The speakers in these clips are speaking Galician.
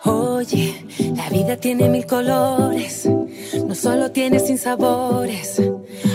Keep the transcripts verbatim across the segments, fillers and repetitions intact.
Oye, la vida tiene mil colores, no solo tiene sinsabores.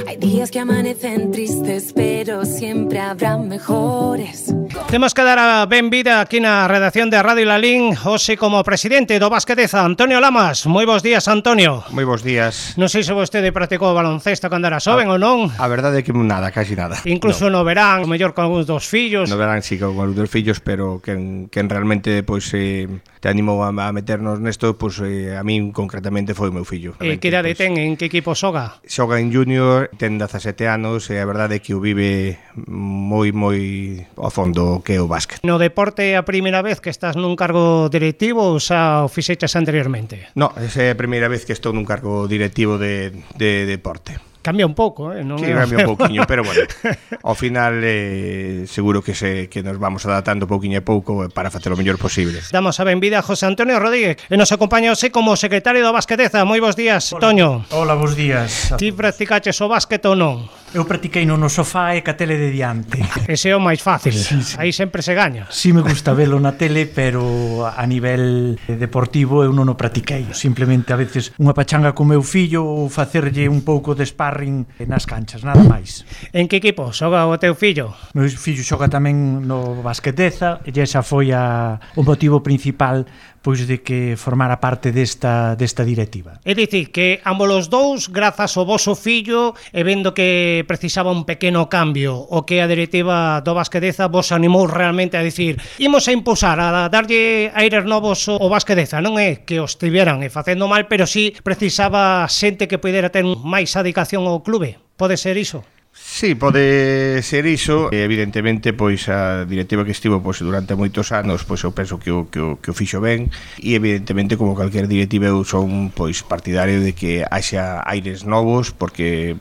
Hay días que amanecen tristes, pero siempre habrá mejores. Temos que dar a benvida aquí na redacción de Radio Lalín hoxe como presidente do Basqueteza, Antonio Lamas. Moi bons días, Antonio. Moi bons días. Non sei se vostede practicou baloncesto cando era xoven ou non. A verdade é que nada, casi nada. Incluso no, no verán, o mellor con algúns dos fillos. No verán sí, con algúns dos fillos, pero quen, quen realmente pois, eh, te animou a, a meternos nesto, pois, eh, a min concretamente foi o meu fillo. E que idade pois, ten? En que equipo xoga? Xoga en junior, ten dezasete anos e a verdade é que o vive moi, moi ao fondo que é o básquet. No deporte é a primeira vez que estás nun cargo directivo ou xa o fixeches anteriormente? No, esa é a primeira vez que estou nun cargo directivo de, de deporte. Cambia un pouco, eh? Non sí, é... cambia un pouquiño, pero bueno, ao final eh, seguro que se que nos vamos adaptando pouquiño a pouco para facer o mellor posible. Damos a benvida a José Antonio Rodríguez e nos acompaña hoxe como secretario do Basqueteza. Moi bons días, Hola. Toño. Hola, bons días. Ti practicaches o básquet ou non? Eu practiquei no no sofá e ca tele de diante. Ese é o máis fácil, sí, sí. Aí sempre se gaña. Si me gusta velo na tele, pero a nivel deportivo eu non o practiquei. Simplemente a veces unha pachanga con meu fillo ou facerlle un pouco de sparring nas canchas, nada máis. En que equipo xoga o teu fillo? Meu fillo xoga tamén no Basqueteza e esa foi a, o motivo principal pois de que formara parte desta, desta directiva. É dicir, que ambos os dous, grazas ao voso fillo, e vendo que precisaba un pequeno cambio, o que a directiva do Basqueteza vos animou realmente a dicir imos a impulsar, a darlle aires novos ao Basqueteza. Non é que os tiveran e facendo mal, pero sí precisaba xente que pudera ter máis dedicación ao clube. Pode ser iso? Sí, pode ser iso. Evidentemente, pois a directiva que estivo pois durante moitos anos, pois eu penso que o que o que o fixo ben, e evidentemente como calquer directiva eu son pois partidario de que haxa aires novos porque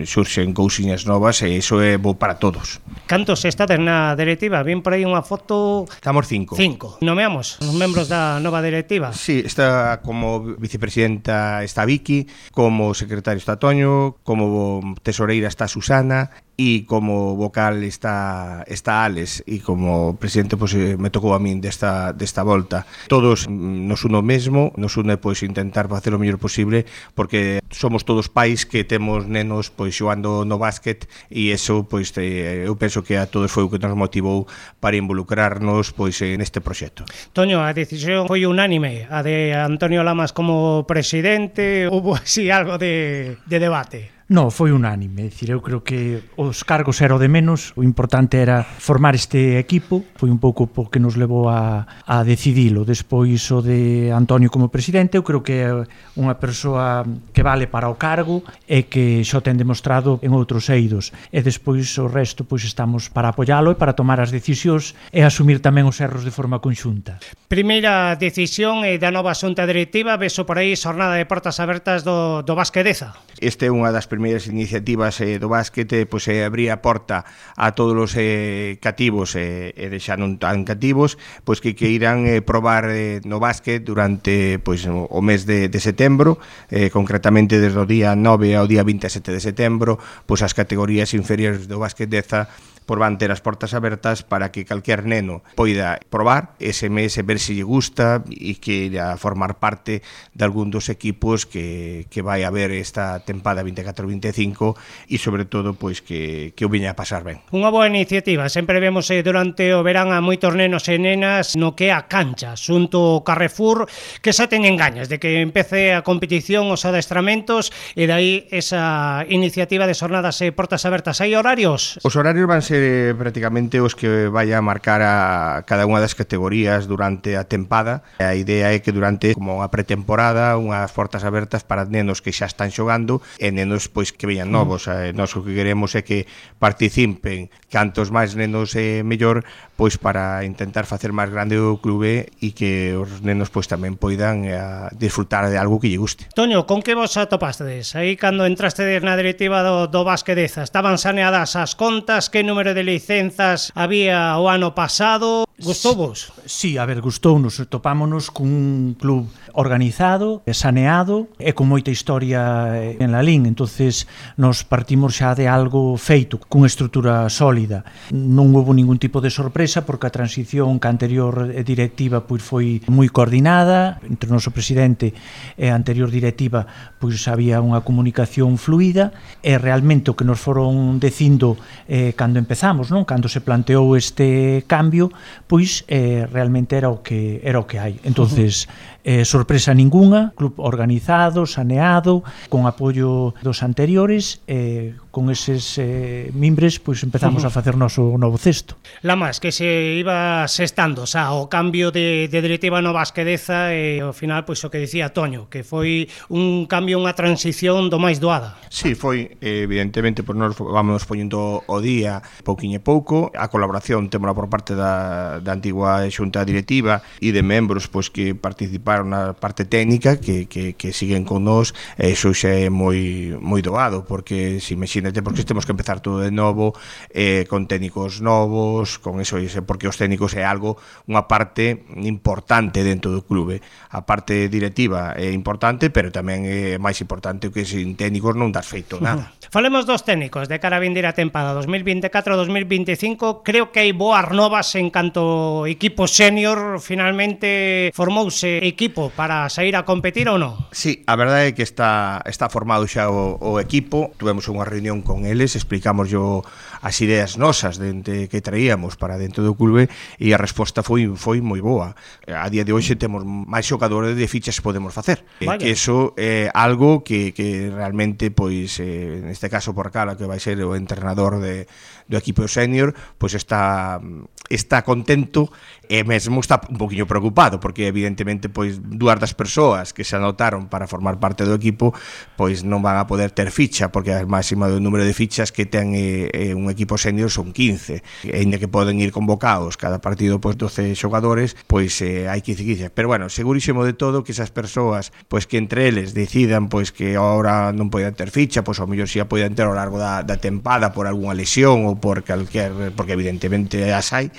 surxen cousiñas novas e iso é bo para todos. Cantos estades na directiva? Vin por aí unha foto... Estamos cinco. Cinco. Nomeamos os membros da nova directiva. Sí, está como vicepresidenta está Vicky, como secretario está Toño, como tesoreira está Susana e como vocal está está Alex e como presidente pois me tocou a min desta desta volta. Todos nos uno mesmo, nos une pois intentar facer o mellor posible porque somos todos pais que temos nenos pois xogando no básquet e eso pois te, eu penso que a todos foi o que nos motivou para involucrarnos pois neste proxecto. Toño, a decisión foi unánime, a de Antonio Lamas como presidente, hubo así algo de, de debate? No, foi unánime, é dicir, eu creo que os cargos era o de menos, o importante era formar este equipo, foi un pouco o que nos levou a, a decidilo. Despois o de Antonio como presidente, eu creo que é unha persoa que vale para o cargo e que xo ten demostrado en outros eidos, e despois o resto pois estamos para apoialo e para tomar as decisións e asumir tamén os erros de forma conxunta. Primeira decisión é da nova xunta directiva, veso por aí xornada de portas abertas do, do Basqueteza. Este é unha das primeiras iniciativas eh, do básquet, eh, pois eh, abrir a porta a todos os eh, cativos e eh, deixar non tan cativos, pois que que irán eh, probar eh, no básquet durante pois o, o mes de, de setembro, eh, concretamente desde o día nove ao día vinte e sete de setembro, pois as categorías inferiores do Basqueteza por van ter as portas abertas para que calquer neno poida probar ese mes e ver se lle gusta e que irá formar parte de algún dos equipos que, que vai haber esta tempada vinte e catro vinte e cinco e sobre todo pois que, que o viña a pasar ben. Unha boa iniciativa, sempre vemos eh, durante o verán a moitos nenos e nenas no que é a cancha, xunto ao Carrefour, que xa teñen gañas de que empece a competición, os adestramentos e dai esa iniciativa de xornadas e portas abertas. Hai horarios? Os horarios van ser prácticamente os que vai a marcar a cada unha das categorías durante a tempada. A idea é que durante como unha pretemporada, unhas portas abertas para nenos que xa están xogando e nenos pois que veñan novos. Mm. Nós o que queremos é que participen cantos máis nenos é mellor, pois para intentar facer máis grande o clube e que os nenos pois tamén poidan a disfrutar de algo que lle guste. Toño, con que vos atopastes? Aí cando entrastedes na directiva do, do Basqueteza, estaban saneadas as contas, que número número de licenzas había o ano pasado. Gustouvos? Sí, a ver, gustounos. Topámonos cun club organizado, saneado e con moita historia en la lín. Entonces nos partimos xa de algo feito, cunha estrutura sólida. Non houve ningún tipo de sorpresa porque a transición que a anterior directiva pois foi moi coordinada entre o noso presidente e a anterior directiva, pois había unha comunicación fluida e realmente o que nos foron dicindo eh, cando empezamos, non? Cando se planteou este cambio, pois eh, realmente era o que era o que hai. Entonces, eh, sorpresa ningunha, club organizado, saneado, con apoio dos anteriores, eh, con eses eh, mimbres, pois empezamos uh -huh. a facer noso novo cesto. Lamas, que se iba sestando, xa, o cambio de, de directiva no Basquedeza e ao final, pois o que dicía Toño, que foi un cambio, unha transición do máis doada. Sí, foi, evidentemente, pois nos vamos poñendo o día pouquiño e pouco, a colaboración témola por parte da, da antigua xunta directiva e de membros pois que participaron na parte técnica que, que, que siguen con nós, e iso xa é moi, moi doado, porque se imagínate, porque temos que empezar todo de novo, eh, con técnicos novos, con eso, porque os técnicos é algo, unha parte importante dentro do clube. A parte directiva é importante, pero tamén é máis importante que sin técnicos non das feito nada. Uh-huh. Falemos dos técnicos de cara a vindeira tempada dos mil vinte e catro dos mil vinte e cinco. Creo que hai boas novas en canto equipo senior. Finalmente formouse equipo para sair a competir ou non? Sí, a verdade é que está, está formado xa o, o equipo. Tuvemos unha reunión con eles, explicamos yo as ideas nosas de que traíamos para dentro do clube e a resposta foi foi moi boa. A día de hoxe temos máis xogadores de fichas que podemos facer. Vaya. Que eso é algo que, que realmente, pois, eh, neste caso por Cala, que vai ser o entrenador de, do equipo senior, pois está está contento e mesmo está un poquinho preocupado, porque evidentemente pois dúas das persoas que se anotaron para formar parte do equipo pois non van a poder ter ficha, porque a máxima do número de fichas que ten eh, un equipo senior son quince, e ainda que poden ir convocados cada partido pois doce xogadores, pois eh, hai quince quince, pero bueno, segurísimo de todo que esas persoas pois que entre eles decidan pois que agora non poden ter ficha, pois ao mellor si a poden ter ao largo da, da tempada por algunha lesión ou por calquer, porque evidentemente as hai,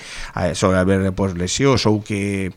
só haber pois lesións ou que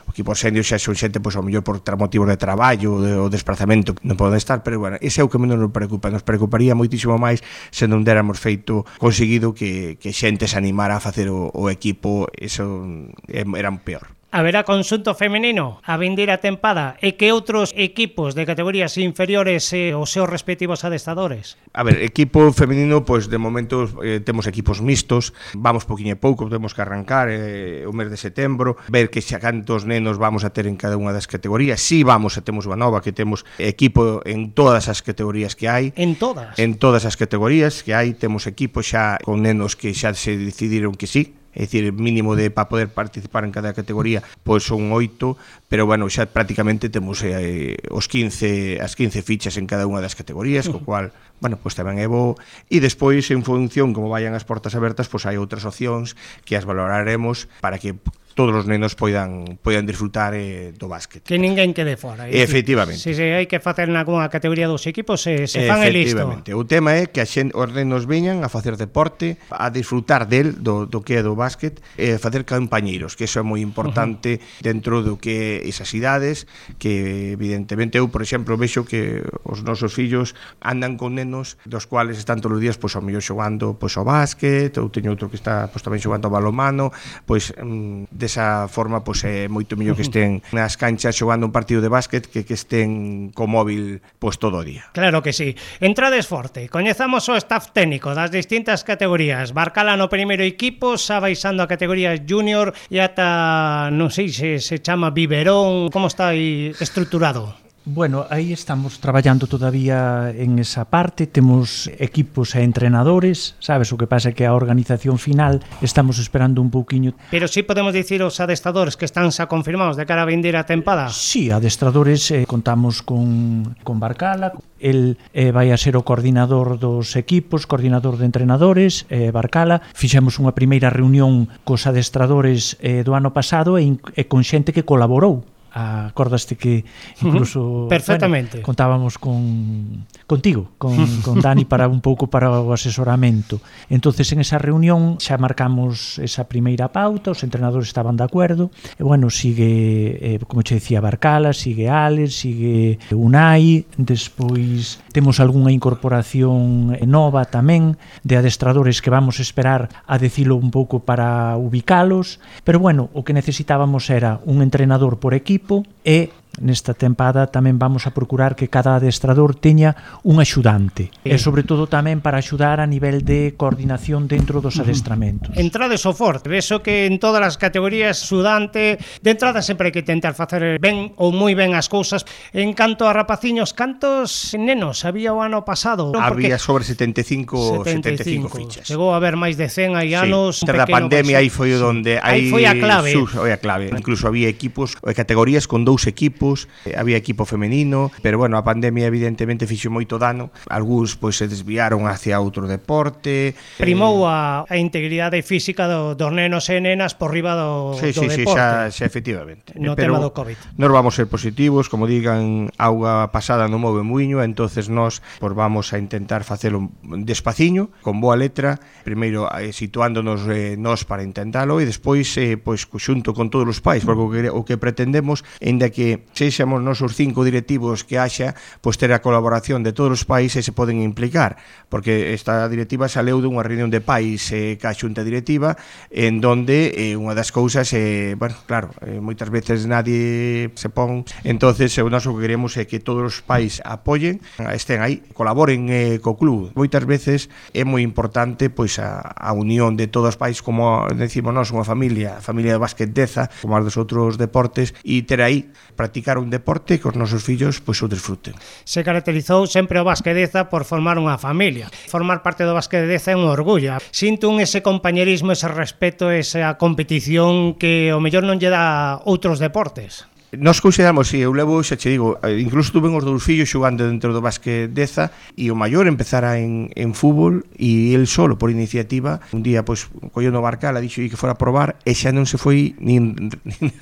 o equipo senior xa son xente pois ao mellor por motivos de traballo ou de desplazamento non poden estar, pero bueno, ese é o que menos nos preocupa. Nos preocuparía moitísimo máis se non déramos feito conseguido que, que xente se animara a facer o, o equipo, eso era un peor. Haberá conxunto femenino a vindeira tempada e que outros equipos de categorías inferiores e os seus respectivos adestadores? A ver, equipo femenino, pois de momento eh, temos equipos mixtos, vamos poquinho e pouco, temos que arrancar eh, o mes de setembro, ver que xa cantos nenos vamos a ter en cada unha das categorías. Si vamos a temos unha nova, que temos equipo en todas as categorías que hai. En todas? En todas as categorías que hai, temos equipo xa con nenos que xa se decidiron que sí, é dicir, mínimo de para poder participar en cada categoría, pois son oito, pero bueno, xa prácticamente temos eh, os quince, as quince fichas en cada unha das categorías, co cual, bueno, pois tamén é bo, e despois en función como vayan as portas abertas, pois hai outras opcións que as valoraremos para que todos os nenos poidan poidan disfrutar eh, do básquet. Que ninguén quede fora. Efectivamente. Se, se hai que facer nalgúna categoría dos equipos, se, se fan e listo. Efectivamente. O tema é que a xen, os nenos veñan a facer deporte, a disfrutar del, do, do que é do básquet, e facer compañeiros, que iso é moi importante uh-huh. dentro do que esas idades, que evidentemente eu, por exemplo, vexo que os nosos fillos andan con nenos dos cuales están todos os días pois ao mellor xogando pois ao básquet, ou teño outro que está pois tamén xogando ao balonmano, pois de esa forma pois é moito mellor que estén nas canchas xogando un partido de básquet que que estén co móvil pois todo o día. Claro que sí. Entrades forte, coñezamos o staff técnico das distintas categorías. Barcala no primeiro equipo, xa baixando a categoría junior e ata, non sei se se chama biberón, como está aí estruturado? Bueno, aí estamos traballando todavía en esa parte, temos equipos e entrenadores, sabes, o que pasa é que a organización final estamos esperando un pouquiño. Pero sí podemos dicir os adestradores que están xa confirmados de cara a vindeira tempada? Sí, adestradores, eh, contamos con, con Barcala, el eh, vai a ser o coordinador dos equipos, coordinador de entrenadores, eh, Barcala. Fixemos unha primeira reunión cos adestradores eh, do ano pasado e, e con xente que colaborou acordaste que incluso perfectamente, bueno, contábamos con contigo, con, con Dani para un pouco para o asesoramento. Entonces en esa reunión xa marcamos esa primeira pauta, os entrenadores estaban de acordo, e bueno, sigue, eh, como che decía, Barcala, sigue Alex, sigue Unai, despois temos algunha incorporación nova tamén de adestradores que vamos a esperar a decilo un pouco para ubicalos, pero bueno, o que necesitábamos era un entrenador por equipo e nesta tempada tamén vamos a procurar que cada adestrador teña un axudante sí. E sobre todo tamén para axudar a nivel de coordinación dentro dos adestramentos. Entrade soforte, vexo que en todas as categorías axudante, de entrada sempre hai que tentar facer ben ou moi ben as cousas. En canto a rapaciños, cantos nenos había o ano pasado? Había sobre setenta e cinco, setenta e cinco, setenta e cinco fichas. Chegou a haber máis de cen hai anos. Sí, tras a pandemia aí foi onde aí foi a clave. Sus, foi a clave. Incluso había equipos, categorías con dous equipos, había equipo femenino, pero bueno, a pandemia evidentemente fixo moito dano. Algúns pois se desviaron hacia outro deporte. Primou a, a integridade física do, dos nenos e nenas por riba do, sí, do sí, deporte. Sí, xa, xa efectivamente. No pero tema do COVID. Nós vamos ser positivos, como digan, auga pasada non move muiño, entonces nós pues, vamos a intentar facelo despaciño, con boa letra, primeiro eh, situándonos eh, nós para intentalo e despois eh, pois xunto con todos os pais, porque o que, o que pretendemos, ainda que sexamos nos os cinco directivos que haxa, pois ter a colaboración de todos os pais e se poden implicar, porque esta directiva saleu dunha reunión de pais eh, ca xunta directiva, en donde eh, unha das cousas, eh, bueno, claro, eh, moitas veces nadie se pon, entonces o noso que queremos é que todos os pais apoyen, estén aí, colaboren eh, co club. Moitas veces é moi importante pois a, a unión de todos os pais, como decimos nós, unha familia, a familia de básquet Deza, como as dos outros deportes, e ter aí, practicar un deporte que os nosos fillos pois o desfruten. Se caracterizou sempre o Básquet Deza por formar unha familia. Formar parte do Básquet Deza é un orgullo. Sinto un ese compañerismo, ese respeto, esa competición que o mellor non lle dá outros deportes. Nos consideramos, si, eu levo, xa che digo, incluso tuve os dous fillos xogando dentro do Básquet Deza e o maior empezara en, en fútbol e el solo, por iniciativa, un día, pois, colleu no Barcala, dixo que fora a probar e xa non se foi nin, nin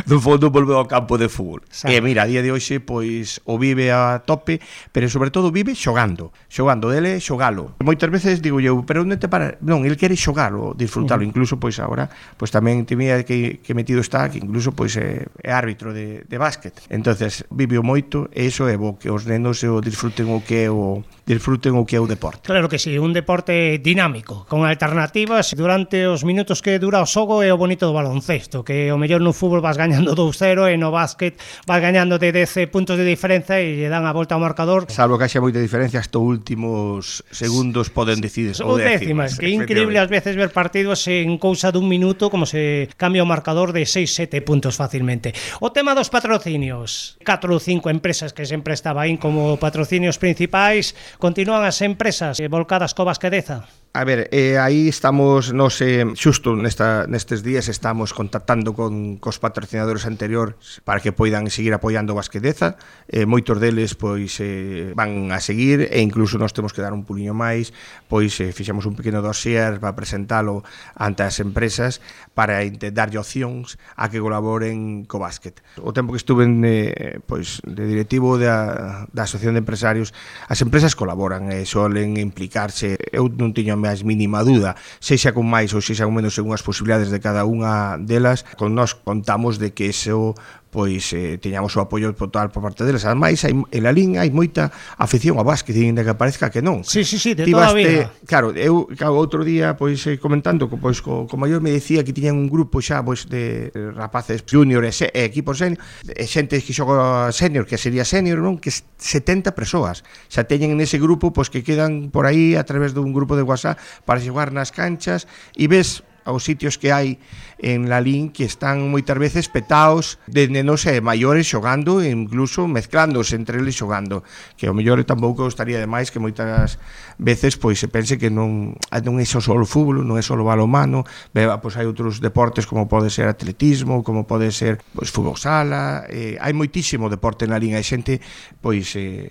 do fondo volveu ao campo de fútbol. Sabe. E mira, a día de hoxe, pois, o vive a tope, pero sobre todo vive xogando, xogando dele, xogalo. Moitas veces digo eu, pero onde te para? Non, el quere xogalo, disfrutalo, uh -huh. Incluso, pois, agora, pois tamén temía que, que metido está, que incluso, pois, é, é árbitro de, de básquet. Entonces vive moito e iso é bo que os nenos o disfruten o que é o disfruten o que é o deporte. Claro que sí, un deporte dinámico, con alternativas durante os minutos que dura o xogo e o bonito do baloncesto, que o mellor no fútbol vas gañando dous cero e no básquet vas gañando de dez puntos de diferenza e lle dan a volta ao marcador. Salvo que haxa moita diferencia, hasta últimos segundos poden decidir ou décimas. Que é increíble ás veces ver partidos en cousa dun minuto como se cambia o marcador de seis sete puntos fácilmente. O tema dos patrocinios, catro ou cinco empresas que sempre estaba aí como patrocinios principais, continúan as empresas volcadas co Básquet Deza? A ver, eh, aí estamos, nos, eh, xusto nesta, nestes días estamos contactando con cos patrocinadores anteriores para que poidan seguir apoiando o Básquet Deza, eh, moitos deles pois eh, van a seguir e incluso nós temos que dar un puliño máis, pois eh, fixemos un pequeno dossier para presentalo ante as empresas para darlle opcións a que colaboren co básquet. O tempo que estuve en, eh, pois, de directivo da, da Asociación de Empresarios, as empresas colaboran e solen implicarse, eu non tiño máis mínima dúda, sexa con máis ou sexa con menos según as posibilidades de cada unha delas, con nós contamos de que eso pois eh, teñamos o apoio total por parte deles. Ademais, hai, en la liga hai moita afición ao básquet, ainda que parezca que non. Sí, sí, sí, de toda a vida. Claro, eu claro, outro día pois eh, comentando pois co, co maior me decía que tiñan un grupo xa pois de rapaces juniors e, e equipos senior, e xente que xoga senior, que sería senior, non? Que setenta persoas xa teñen nese grupo pois que quedan por aí a través dun grupo de WhatsApp para xogar nas canchas e ves aos sitios que hai en la L I N que están moitas veces petaos de nenos e maiores xogando e incluso mezclándose entre eles xogando, que ao mellor tampouco estaría demais que moitas veces pois se pense que non, non é só o fútbol, non é só o balonmano, pois hai outros deportes como pode ser atletismo, como pode ser pois fútbol sala, eh, hai moitísimo deporte na L I N, hai xente pois eh,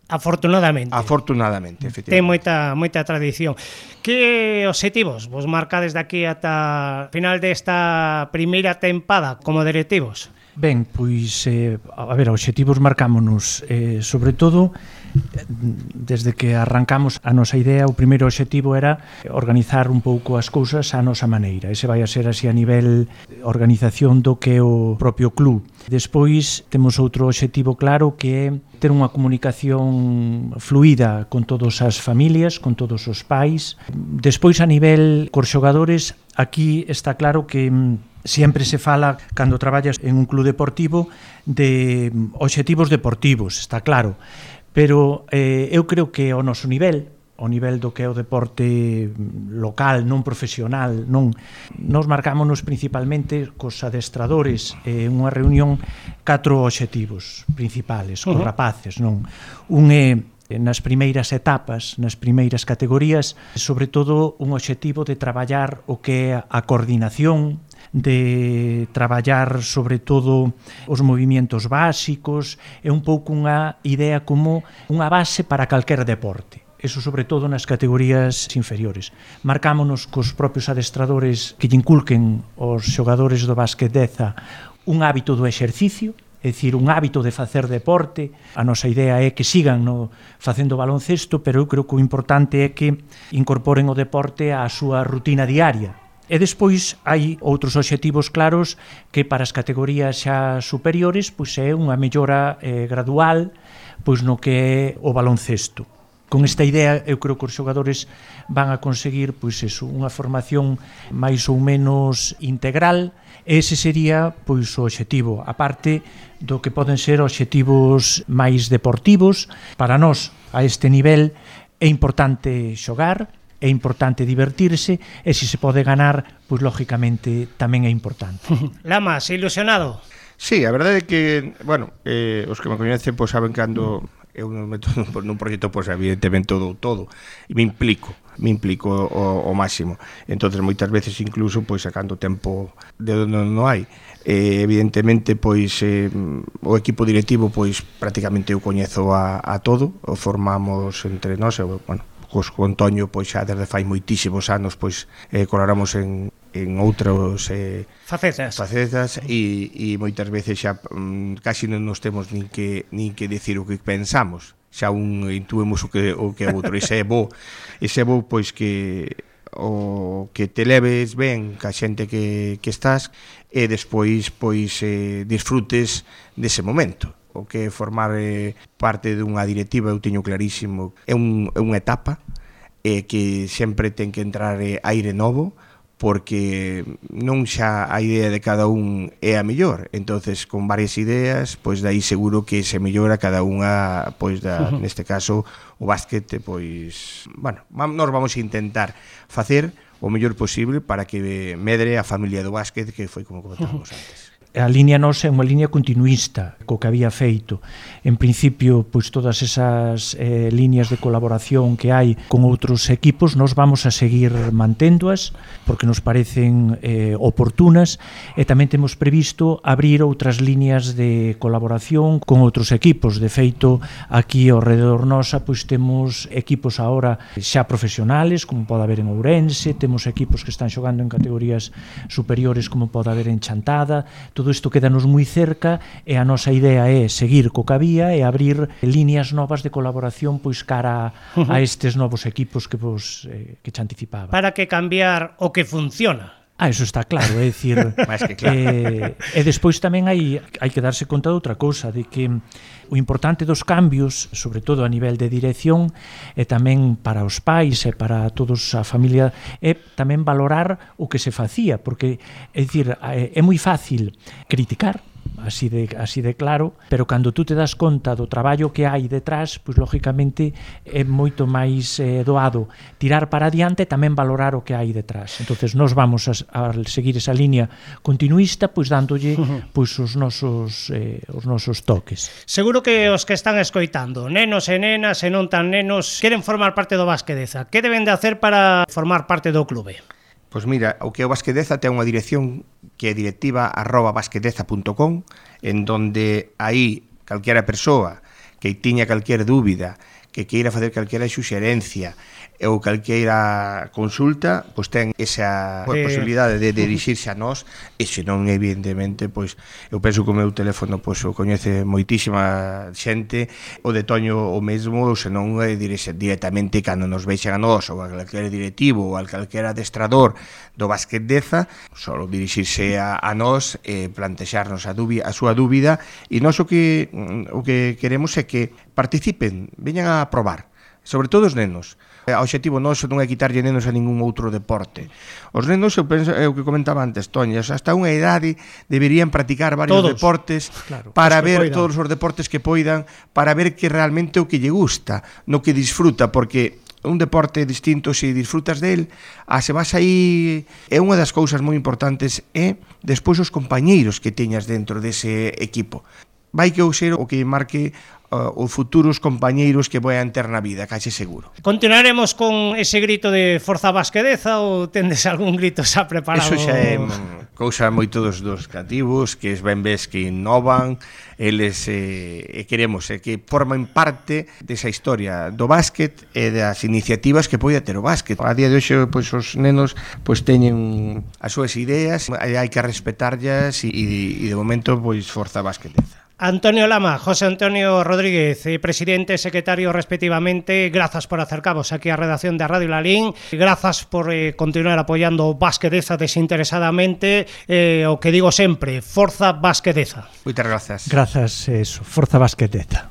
Afortunadamente. Afortunadamente, efectivamente. Ten moita moita tradición. Que obxectivos vos marcades de aquí ata final desta primeira tempada como directivos? Ben, pois, eh, a ver, obxectivos marcámonos, eh, sobre todo, desde que arrancamos a nosa idea, o primeiro obxectivo era organizar un pouco as cousas á nosa maneira. Ese vai a ser así a nivel organización do que é o propio club. Despois, temos outro obxectivo claro que é ter unha comunicación fluida con todas as familias, con todos os pais. Despois, a nivel cos xogadores, aquí está claro que sempre se fala, cando traballas en un club deportivo, de obxectivos deportivos, está claro, pero eh, eu creo que ao noso nivel, ao nivel do que é o deporte local, non profesional, non, nos marcámonos principalmente cos adestradores en eh, unha reunión catro obxectivos principales, cos uh-huh. rapaces, non? Un é nas primeiras etapas, nas primeiras categorías, sobre todo un obxectivo de traballar o que é a coordinación, de traballar sobre todo os movimentos básicos, é un pouco unha idea como unha base para calquer deporte. Eso sobre todo nas categorías inferiores. Marcámonos cos propios adestradores que lle inculquen aos xogadores do básquet Deza un hábito do exercicio, é dicir, un hábito de facer deporte. A nosa idea é que sigan no facendo baloncesto, pero eu creo que o importante é que incorporen o deporte á súa rutina diaria. E despois hai outros obxectivos claros que para as categorías xa superiores pois é unha mellora eh, gradual pois no que é o baloncesto. Con esta idea eu creo que os xogadores van a conseguir pois eso, unha formación máis ou menos integral, e ese sería pois o obxectivo, a parte do que poden ser obxectivos máis deportivos. Para nós, a este nivel, é importante xogar, é importante divertirse, e se se pode ganar, pois lógicamente tamén é importante. Lamas, ilusionado? Sí, a verdade é que, bueno, eh, os que me coñecen pois saben cando eu non meto nun proxecto, pois evidentemente todo todo, e me implico, me implico o, o máximo. Entonces moitas veces incluso pois sacando tempo de onde non hai. Eh, evidentemente pois eh, o equipo directivo pois prácticamente eu coñezo a, a todo, o formamos entre nós, e, bueno, cos con Toño pois xa desde fai moitísimos anos pois eh, colaboramos en, en outros eh, facetas, facetas e, e moitas veces xa mm, casi non nos temos nin que nin que decir o que pensamos, xa un intuemos o que o que é outro. Ese é bo, ese é bo pois que o que te leves ben ca xente que, que estás, e despois pois eh, disfrutes dese momento. O que formar eh, parte dunha directiva, eu teño clarísimo, é, un, é unha etapa eh, que sempre ten que entrar eh, aire novo, porque non xa a idea de cada un é a mellor. Entonces, con varias ideas, pois dai seguro que se mellora cada unha, pois da, uh-huh. neste caso, o básquet, pois, bueno, nós vamos a intentar facer o mellor posible para que medre a familia do básquet, que foi como comentábamos uh-huh. antes. A liña nosa é unha liña continuista co que había feito. En principio, pois todas esas eh, líneas de colaboración que hai con outros equipos nos vamos a seguir manténdoas porque nos parecen eh, oportunas, e tamén temos previsto abrir outras líneas de colaboración con outros equipos. De feito, aquí ao redor nosa pois temos equipos agora xa profesionales, como pode haber en Ourense, temos equipos que están xogando en categorías superiores como pode haber en Chantada. Todo isto quedanos moi cerca, e a nosa idea é seguir co que había e abrir líneas novas de colaboración pois cara a, a estes novos equipos que vos eh, que te anticipaba. Para que cambiar o que funciona. Ah, eso está claro, é dicir, máis que claro. Eh, e despois tamén hai hai que darse conta de outra cousa, de que o importante dos cambios, sobre todo a nivel de dirección, e tamén para os pais e para todos a familia, é tamén valorar o que se facía, porque é dicir, é moi fácil criticar, así de, así de claro, pero cando tú te das conta do traballo que hai detrás, pois lógicamente é moito máis eh, doado tirar para adiante e tamén valorar o que hai detrás. Entonces nós vamos a, a seguir esa línea continuista, pois dándolle pois os nosos eh, os nosos toques. Seguro que os que están escoitando, nenos e nenas e non tan nenos, queren formar parte do Básquet Deza. Que deben de hacer para formar parte do clube? Pois mira, o que é o Básquet Deza ten unha dirección que é directiva arroba basquetdeza punto com, en donde aí calquera persoa que tiña calquer dúbida, que queira facer calquera xuxerencia ou calqueira consulta, pois ten esa eh, posibilidade de dirixirse a nós, e senón evidentemente, pois eu penso que o meu teléfono pois o coñece moitísima xente, o de Toño o mesmo, senón é dirixir directamente cando nos veixan a nós ou a calquera directivo ou a calquera adestrador do Básquet Deza, só dirixirse a, a nós e plantexarnos a, dúbida, a súa dúbida, e nós o que o que queremos é que participen, veñan a probar, sobre todo os nenos. O obxectivo noso non é quitarlle nenos a ningún outro deporte. Os nenos, eu penso, é o que comentaba antes, Toña, hasta unha idade deberían practicar varios todos, deportes, claro, para ver poidan. todos os deportes que poidan, para ver que realmente o que lle gusta, no que disfruta, porque un deporte distinto, se disfrutas del, a se vas aí, é unha das cousas moi importantes, é despois os compañeiros que teñas dentro dese equipo. Vai que o ser o que marque uh, os futuros compañeiros que voian ter na vida, case seguro. Continuaremos con ese grito de Forza Básquet Deza ou tendes algún grito xa preparado? Eso xa é cousa moito dos, dos creativos, que es ben ves que innovan, eles eh, queremos eh, que forman parte desa historia do básquet e das iniciativas que poida ter o básquet. A día de hoxe, pois, os nenos pois teñen as súas ideas, hai que respetarlas e, e de momento, pois, Forza Básquet Deza. Antonio Lama, José Antonio Rodríguez, presidente e secretario respectivamente, grazas por acercaros aquí á redacción de Radio Lalín, grazas por eh, continuar apoiando o Básquet Deza desinteresadamente, eh, o que digo sempre, Forza Básquet Deza. Moitas grazas. Grazas, eso, Forza Básquet Deza.